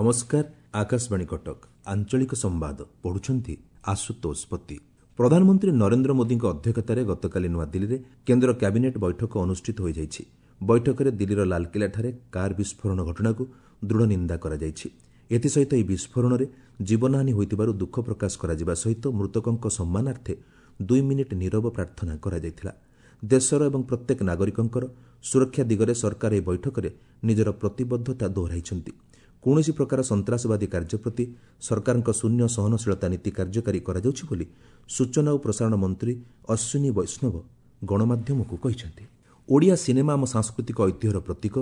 ନମସ୍କାର, ଆକାଶବାଣୀ କଟକ, ଆଞ୍ଚଳିକ ସମ୍ବାଦ ପଢୁଛନ୍ତି ଆଶୁତୋଷ ପତି। ପ୍ରଧାନମନ୍ତ୍ରୀ ନରେନ୍ଦ୍ର ମୋଦିଙ୍କ ଅଧ୍ୟକ୍ଷତାରେ ଗତକାଲି ନୂଆଦିଲ୍ଲୀରେ କେନ୍ଦ୍ର କ୍ୟାବିନେଟ୍ ବୈଠକ ଅନୁଷ୍ଠିତ ହୋଇଯାଇଛି। ବୈଠକରେ ଦିଲ୍ଲୀର ଲାଲକିଲ୍ଲାଠାରେ କାର୍ ବିସ୍ଫୋରଣ ଘଟଣାକୁ ଦୃଢ଼ ନିନ୍ଦା କରାଯାଇଛି। ଏଥିସହିତ ଏହି ବିସ୍ଫୋରଣରେ ଜୀବନହାନି ହୋଇଥିବାରୁ ଦୁଃଖ ପ୍ରକାଶ କରାଯିବା ସହିତ ମୃତକଙ୍କ ସମ୍ମାନାର୍ଥେ 2 ମିନିଟ୍ ନୀରବ ପ୍ରାର୍ଥନା କରାଯାଇଥିଲା। ଦେଶର ଏବଂ ପ୍ରତ୍ୟେକ ନାଗରିକଙ୍କର ସୁରକ୍ଷା ଦିଗରେ ସରକାର ଏହି ବୈଠକରେ ନିଜର ପ୍ରତିବଦ୍ଧତା ଦୋହରାଇଛନ୍ତି। କୌଣସି ପ୍ରକାର ସନ୍ତାସବାଦୀ କାର୍ଯ୍ୟ ପ୍ରତି ସରକାରଙ୍କ ଶୂନ୍ୟ ସହନଶୀଳତା ନୀତି କାର୍ଯ୍ୟକାରୀ କରାଯାଉଛି ବୋଲି ସୂଚନା ଓ ପ୍ରସାରଣ ମନ୍ତ୍ରୀ ଅଶ୍ୱିନୀ ବୈଷ୍ଣବ ଗଣମାଧ୍ୟମକୁ କହିଛନ୍ତି। ଓଡ଼ିଆ ସିନେମା ଆମ ସାଂସ୍କୃତିକ ଐତିହ୍ୟର ପ୍ରତୀକ।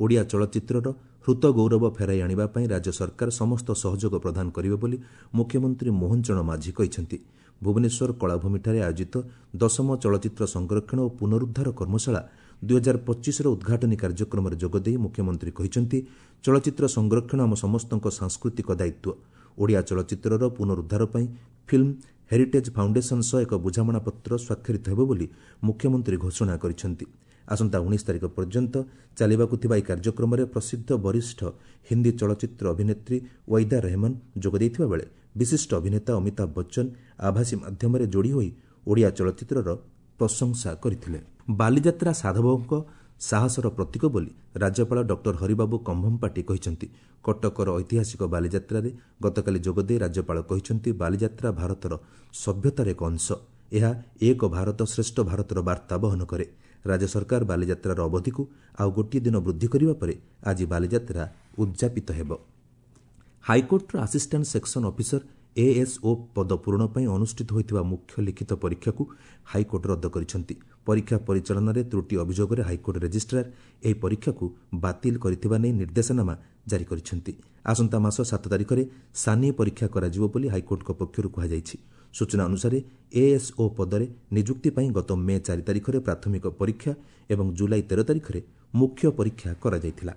ଓଡ଼ିଆ ଚଳଚ୍ଚିତ୍ରର ହୃତ ଗୌରବ ଫେରାଇ ଆଣିବା ପାଇଁ ରାଜ୍ୟ ସରକାର ସମସ୍ତ ସହଯୋଗ ପ୍ରଦାନ କରିବେ ବୋଲି ମୁଖ୍ୟମନ୍ତ୍ରୀ ମୋହନ ଚରଣ ମାଝୀ କହିଛନ୍ତି। ଭୁବନେଶ୍ୱର କଳାଭୂମିଠାରେ ଆୟୋଜିତ ଦଶମ ଚଳଚ୍ଚିତ୍ର ସଂରକ୍ଷଣ ଓ ପୁନରୁଦ୍ଧାର କର୍ମଶାଳା 2025ର ଉଦ୍ଘାଟନୀ କାର୍ଯ୍ୟକ୍ରମରେ ଯୋଗଦେଇ ମୁଖ୍ୟମନ୍ତ୍ରୀ କହିଛନ୍ତି, ଚଳଚ୍ଚିତ୍ର ସଂରକ୍ଷଣ ଆମ ସମସ୍ତଙ୍କ ସାଂସ୍କୃତିକ ଦାୟିତ୍ୱ। ଓଡ଼ିଆ ଚଳଚ୍ଚିତ୍ରର ପୁନରୁଦ୍ଧାର ପାଇଁ ଫିଲ୍ମ ହେରିଟେଜ୍ ଫାଉଣ୍ଡେସନ୍ ସହ ଏକ ବୁଝାମଣାପତ୍ର ସ୍ୱାକ୍ଷରିତ ହେବ ବୋଲି ମୁଖ୍ୟମନ୍ତ୍ରୀ ଘୋଷଣା କରିଛନ୍ତି। ଆସନ୍ତା 19 ତାରିଖ ପର୍ଯ୍ୟନ୍ତ ଚାଲିବାକୁ ଥିବା ଏହି କାର୍ଯ୍ୟକ୍ରମରେ ପ୍ରସିଦ୍ଧ ବରିଷ୍ଠ ହିନ୍ଦୀ ଚଳଚ୍ଚିତ୍ର ଅଭିନେତ୍ରୀ ୱୈଦା ରେହମାନ ଯୋଗ ଦେଇଥିବା ବେଳେ ବିଶିଷ୍ଟ ଅଭିନେତା ଅମିତାଭ ବଚ୍ଚନ ଆଭାସୀ ମାଧ୍ୟମରେ ଯୋଡ଼ି ହୋଇ ଓଡ଼ିଆ ଚଳଚ୍ଚିତ୍ରର ପ୍ରଶଂସା କରିଥିଲେ। ବାଲିଯାତ୍ରା ସାଧବଙ୍କ ସାହସର ପ୍ରତୀକ ବୋଲି ରାଜ୍ୟପାଳ ଡକ୍ଟର ହରିବାବୁ କମ୍ଭମପାଟି କହିଛନ୍ତି। କଟକର ଐତିହାସିକ ବାଲିଯାତ୍ରାରେ ଗତକାଲି ଯୋଗଦେଇ ରାଜ୍ୟପାଳ କହିଛନ୍ତି, ବାଲିଯାତ୍ରା ଭାରତର ସଭ୍ୟତାର ଏକ ଅଂଶ। ଏହା ଏକ ଭାରତ ଶ୍ରେଷ୍ଠ ଭାରତର ବାର୍ତ୍ତା ବହନ କରେ। ରାଜ୍ୟ ସରକାର ବାଲିଯାତ୍ରାର ଅବଧିକୁ ଆଉ ଗୋଟିଏ ଦିନ ବୃଦ୍ଧି କରିବା ପରେ ଆଜି ବାଲିଯାତ୍ରା ଉଦ୍ଯାପିତ ହେବ। ହାଇକୋର୍ଟର ଆସିଷ୍ଟାଣ୍ଟ ସେକ୍ସନ ଅଫିସର ଏଏସ୍ଓ ପଦ ପୂରଣ ପାଇଁ ଅନୁଷ୍ଠିତ ହୋଇଥିବା ମୁଖ୍ୟ ଲିଖିତ ପରୀକ୍ଷାକୁ ହାଇକୋର୍ଟ ରଦ୍ଦ କରିଛନ୍ତି। ପରୀକ୍ଷା ପରିଚାଳନାରେ ତ୍ରୁଟି ଅଭିଯୋଗରେ ହାଇକୋର୍ଟ ରେଜିଷ୍ଟ୍ରାର ଏହି ପରୀକ୍ଷାକୁ ବାତିଲ କରିଥିବା ନେଇ ନିର୍ଦ୍ଦେଶନାମା ଜାରି କରିଛନ୍ତି। ଆସନ୍ତା ମାସ 7 ତାରିଖରେ ସାନି ପରୀକ୍ଷା କରାଯିବ ବୋଲି ହାଇକୋର୍ଟଙ୍କ ପକ୍ଷରୁ କୁହାଯାଇଛି। ସୂଚନା ଅନୁସାରେ ଏଏସ୍ଓ ପଦରେ ନିଯୁକ୍ତି ପାଇଁ ଗତ ମେ 4 ତାରିଖରେ ପ୍ରାଥମିକ ପରୀକ୍ଷା ଏବଂ ଜୁଲାଇ 13 ତାରିଖରେ ମୁଖ୍ୟ ପରୀକ୍ଷା କରାଯାଇଥିଲା।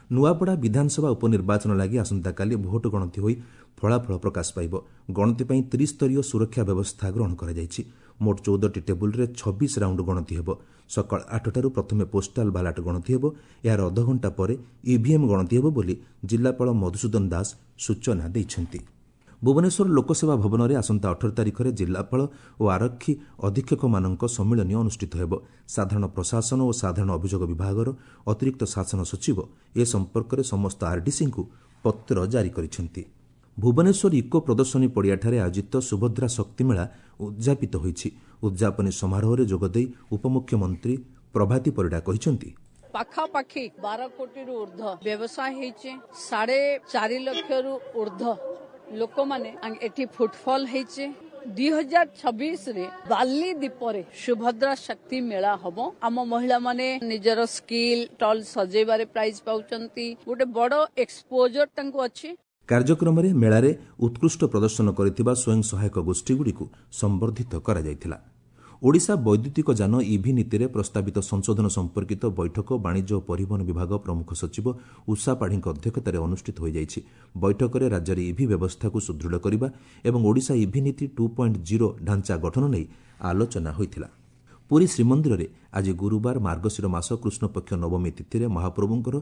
ନୂଆପଡ଼ା ବିଧାନସଭା ଉପନିର୍ବାଚନ ଲାଗି ଆସନ୍ତାକାଲି ଭୋଟ ଗଣତି ହୋଇ ଫଳାଫଳ ପ୍ରକାଶ ପାଇବ। ଗଣତି ପାଇଁ ତ୍ରିସ୍ତରୀୟ ସୁରକ୍ଷା ବ୍ୟବସ୍ଥା ଗ୍ରହଣ କରାଯାଇଛି। ମୋଟ 14ଟି ଟେବୁଲରେ 26 ରାଉଣ୍ଡ ଗଣତି ହେବ। ସକାଳ 8ଟାରୁ ପ୍ରଥମେ ପୋଷ୍ଟାଲ ବାଲାଟ ଗଣତି ହେବ। ଏହାର ଅଧଘଣ୍ଟା ପରେ ଇଭିଏମ୍ ଗଣତି ହେବ ବୋଲି ଜିଲ୍ଲାପାଳ ମଧୁସୂଦନ ଦାସ ସୂଚନା ଦେଇଛନ୍ତି। ଭୁବନେଶ୍ୱର ଲୋକସେବା ଭବନରେ ଆସନ୍ତା 18 ତାରିଖରେ ଜିଲ୍ଲାପାଳ ଓ ଆରକ୍ଷୀ ଅଧୀକ୍ଷକମାନଙ୍କ ସମ୍ମିଳନୀ ଅନୁଷ୍ଠିତ ହେବ। ସାଧାରଣ ପ୍ରଶାସନ ଓ ସାଧାରଣ ଅଭିଯୋଗ ବିଭାଗର ଅତିରିକ୍ତ ଶାସନ ସଚିବ ଏ ସମ୍ପର୍କରେ ସମସ୍ତ ଆରଡିସିଙ୍କୁ ପତ୍ର ଜାରି କରିଛନ୍ତି। ଭୁବନେଶ୍ୱର ଇକୋ ପ୍ରଦର୍ଶନୀ ପଡ଼ିଆଠାରେ ଆୟୋଜିତ ସୁଭଦ୍ରା ଶକ୍ତିମେଳା ଉଦ୍ଯାପିତ ହୋଇଛି। ଉଦ୍ଯାପନୀ ସମାରୋହରେ ଯୋଗଦେଇ ଉପମୁଖ୍ୟମନ୍ତ୍ରୀ ପ୍ରଭାତୀ ପରିଡ଼ା କହିଛନ୍ତି, ପାଖାପାଖି 12 କୋଟିରୁ ଉର୍ଦ୍ଧ୍ୱ ବ୍ୟବସାୟ ହେଇଛି। 4.5 ଲକ୍ଷରୁ ଉର୍ଦ୍ଧ୍ୱ ଲୋକମାନେ ଏଠି ଫୁଟଫଲ ହେଇଛି। 2026ରେ ବାଲି ଦ୍ୱୀପରେ ସୁଭଦ୍ରା ଶକ୍ତି ମେଳା ହବ। ଆମ ମହିଳାମାନେ ନିଜର ସ୍କିଲ୍ ଷ୍ଟଲ୍ ସଜେଇବାରେ ପ୍ରାଇଜ ପାଉଛନ୍ତି। ଗୋଟେ ବଡ ଏକ୍ସପୋଜର ତାଙ୍କୁ ଅଛି। କାର୍ଯ୍ୟକ୍ରମରେ ମେଳାରେ ଉତ୍କୃଷ୍ଟ ପ୍ରଦର୍ଶନ କରିଥିବା ସ୍ୱୟଂ ସହାୟକ ଗୋଷ୍ଠୀଗୁଡ଼ିକୁ ସମ୍ବର୍ଦ୍ଧିତ କରାଯାଇଥିଲା। ଓଡ଼ିଶା ବୈଦ୍ୟୁତିକ ଯାନ ଇଭି ନୀତିରେ ପ୍ରସ୍ତାବିତ ସଂଶୋଧନ ସମ୍ପର୍କିତ ବୈଠକ ବାଣିଜ୍ୟ ଓ ପରିବହନ ବିଭାଗ ପ୍ରମୁଖ ସଚିବ ଉଷା ପାଢ଼ୀଙ୍କ ଅଧ୍ୟକ୍ଷତାରେ ଅନୁଷ୍ଠିତ ହୋଇଯାଇଛି। ବୈଠକରେ ରାଜ୍ୟରେ ଇଭି ବ୍ୟବସ୍ଥାକୁ ସୁଦୃଢ଼ କରିବା ଏବଂ ଓଡ଼ିଶା ଇଭି ନୀତି 2.0 ଢାଞ୍ଚା ଗଠନ ନେଇ ଆଲୋଚନା ହୋଇଥିଲା। ପୁରୀ ଶ୍ରୀମନ୍ଦିରରେ ଆଜି ଗୁରୁବାର ମାର୍ଗଶିର ମାସ କୃଷ୍ଣପକ୍ଷ ନବମୀ ତିଥିରେ ମହାପ୍ରଭୁଙ୍କର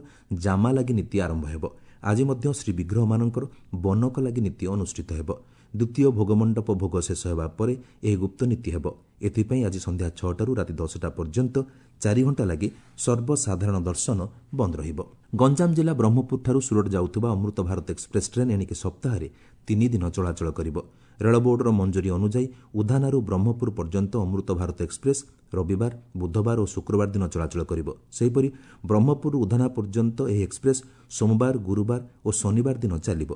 ଜାମାଲାଗି ନୀତି ଆରମ୍ଭ ହେବ। ଆଜି ମଧ୍ୟ ଶ୍ରୀବିଗ୍ରହମାନଙ୍କର ବନକ ଲାଗି ନୀତି ଅନୁଷ୍ଠିତ ହେବ। ଦ୍ୱିତୀୟ ଭୋଗମଣ୍ଡପ ଭୋଗ ଶେଷ ହେବା ପରେ ଏହି ଗୁପ୍ତ ନୀତି ହେବ। ଏଥିପାଇଁ ଆଜି ସନ୍ଧ୍ୟା 6ଟାରୁ ରାତି 10ଟା ପର୍ଯ୍ୟନ୍ତ 4 ଘଣ୍ଟା ଲାଗି ସର୍ବସାଧାରଣ ଦର୍ଶନ ବନ୍ଦ ରହିବ। ଗଞ୍ଜାମ ଜିଲ୍ଲା ବ୍ରହ୍ମପୁରଠାରୁ ସୁରଟ ଯାଉଥିବା ଅମୃତ ଭାରତ ଏକ୍ସପ୍ରେସ୍ ଟ୍ରେନ୍ ଏଣିକି ସପ୍ତାହରେ 3 ଦିନ ଚଳାଚଳ କରିବ। ରେଳ ବୋର୍ଡର ମଞ୍ଜୁରୀ ଅନୁଯାୟୀ ଉଧାନାରୁ ବ୍ରହ୍ମପୁର ପର୍ଯ୍ୟନ୍ତ ଅମୃତ ଭାରତ ଏକ୍ସପ୍ରେସ୍ ରବିବାର, ବୁଧବାର ଓ ଶୁକ୍ରବାର ଦିନ ଚଳାଚଳ କରିବ। ସେହିପରି ବ୍ରହ୍ମପୁରରୁ ଉଧାନା ପର୍ଯ୍ୟନ୍ତ ଏହି ଏକ୍ସପ୍ରେସ୍ ସୋମବାର, ଗୁରୁବାର ଓ ଶନିବାର ଦିନ ଚାଲିବ।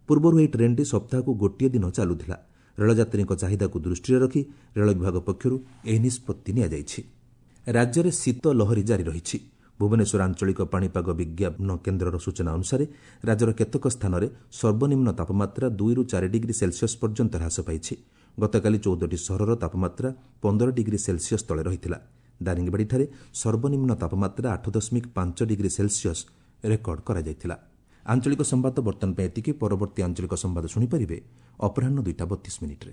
ପୂର୍ବରୁ ଏହି ଟ୍ରେନ୍ଟି ସପ୍ତାହକୁ ଗୋଟିଏ ଦିନ ଚାଲୁଥିଲା। ରେଳଯାତ୍ରୀଙ୍କ ଚାହିଦାକୁ ଦୃଷ୍ଟିରେ ରଖି ରେଳ ବିଭାଗ ପକ୍ଷରୁ ଏହି ନିଷ୍ପତ୍ତି ନିଆଯାଇଛି। ରାଜ୍ୟରେ ଶୀତ ଲହରୀ ଜାରି ରହିଛି। ଭୁବନେଶ୍ୱର ଆଞ୍ଚଳିକ ପାଣିପାଗ ବିଜ୍ଞାନ କେନ୍ଦ୍ରର ସୂଚନା ଅନୁସାରେ ରାଜ୍ୟର କେତେକ ସ୍ଥାନରେ ସର୍ବନିମ୍ନ ତାପମାତ୍ରା 2ରୁ 4 ଡିଗ୍ରୀ ସେଲସିୟସ୍ ପର୍ଯ୍ୟନ୍ତ ହ୍ରାସ ପାଇଛି। ଗତକାଲି 14ଟି ସହରର ତାପମାତ୍ରା 15 ଡିଗ୍ରୀ ସେଲସିୟସ୍ ତଳେ ରହିଥିଲା। ଦାରିଙ୍ଗବାଡ଼ିଠାରେ ସର୍ବନିମ୍ନ ତାପମାତ୍ରା 8.5 ଡିଗ୍ରୀ ସେଲସିୟସ୍ ରେକର୍ଡ କରାଯାଇଥିଲା। ଆଞ୍ଚଳିକ ସମ୍ବାଦ ବର୍ତ୍ତମାନ ପାଇଁ ଏତିକି। ପରବର୍ତ୍ତୀ ଆଞ୍ଚଳିକ ସମ୍ବାଦ ଶୁଣିପାରିବେ ଅପରାହ୍ନ 2ଟା 32 ମିନିଟ୍ରେ।